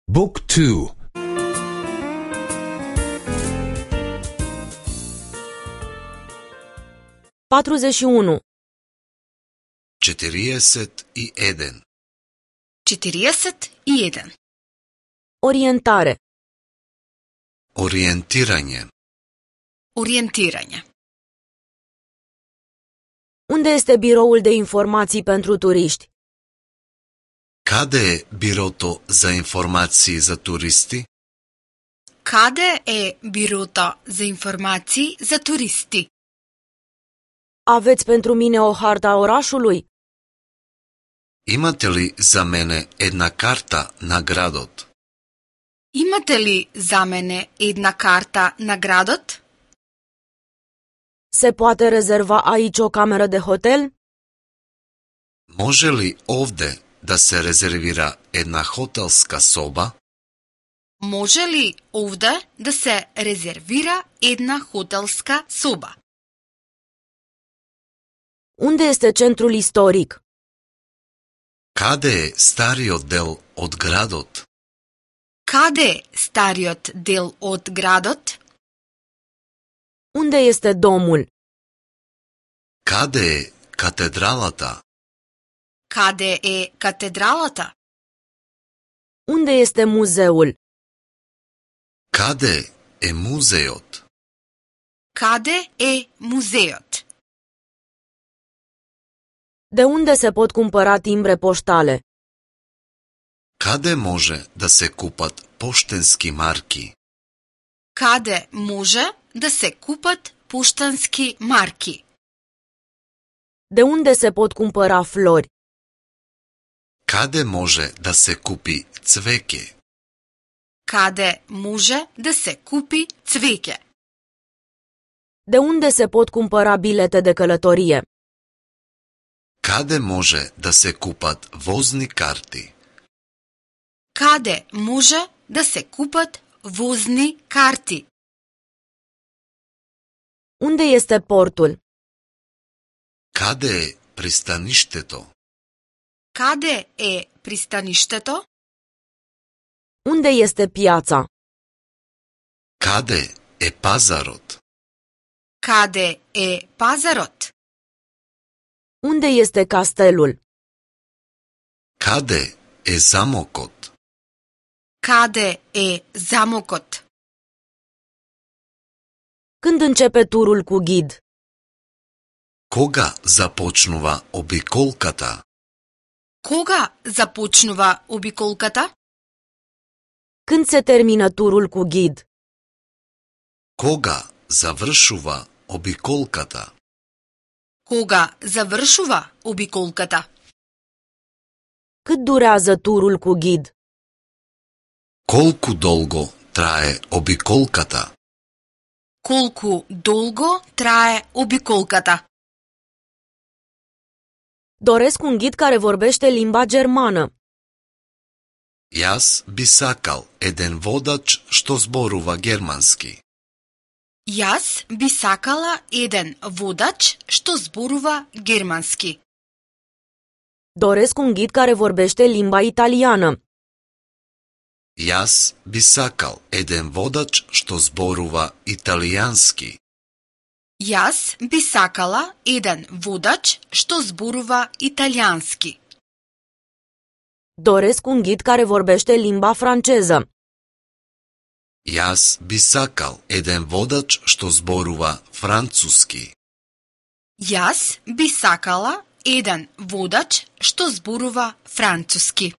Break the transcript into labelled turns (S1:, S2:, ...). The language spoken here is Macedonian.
S1: Book 2.
S2: 41.
S3: 41.
S4: 41.
S2: Orientare.
S3: Ориентирање.
S4: Ориентирање.
S2: Unde este biroul de informații pentru turiști?
S3: Каде е бирото за информации за туристи?
S4: Каде е бирото за информации за туристи?
S2: Aveți pentru mine o hartă a orașului?
S3: Имате ли за мене една карта на градот?
S4: Имате ли за мене една карта на градот?
S2: Se poate rezerva aici o cameră de hotel?
S3: Може ли овде да се резервира една хотелска соба?
S4: Може ли овде да се резервира една хотелска соба?
S2: Unde este centrul istoric?
S3: Каде е стариот дел од градот?
S4: Каде е стариот дел од градот?
S2: Unde este domul?
S3: Каде е катедралата?
S4: Каде е катедралата?
S2: Unde este muzeul?
S3: Каде е музеот?
S4: Каде е музеот?
S2: De unde se pot cumpăra timbre poștale?
S3: Каде може да се купат поштенски марки?
S4: Каде може да се купат поштански марки?
S2: De unde se pot cumpăra flori?
S3: Каде може да се купи цвеќе?
S4: Каде може да се купи цвеќе?
S2: De unde se pot cumpăra bilete de călătorie?
S3: Каде може да се купат возни карти?
S4: Каде може да се купат возни карти?
S2: Unde este portul?
S3: Каде е пристаништето?
S4: Каде е пристаништето?
S2: Unde este piața?
S3: Каде е пазарот?
S4: Каде е пазарот?
S2: Unde este castelul?
S3: Каде е замокот?
S4: Каде е замокот?
S2: Când începe turul cu ghid?
S3: Кога започнува обиколката?
S4: Кога започнува обиколката?
S2: Când se termină turul cu ghid?
S3: Кога завршува обиколката?
S4: Кога завршува обиколката?
S2: Cât durează turul cu ghid?
S3: Колку долго трае обиколката?
S4: Колку долго трае обиколката?
S2: Doresc un ghid care vorbește limba germană.
S3: Јас би сакал еден водач што зборува германски.
S4: Јас би сакала еден водач што зборува германски.
S2: Doresc un ghid care vorbește limba italiană.
S3: Јас би сакал еден водач што зборува италијански.
S4: Јас би сакала еден водач што зборува италијански.
S2: Doresc un ghid care vorbește limba franceză.
S3: Јас би сакал еден водач што зборува француски.
S4: Јас би сакала еден водач што зборува француски.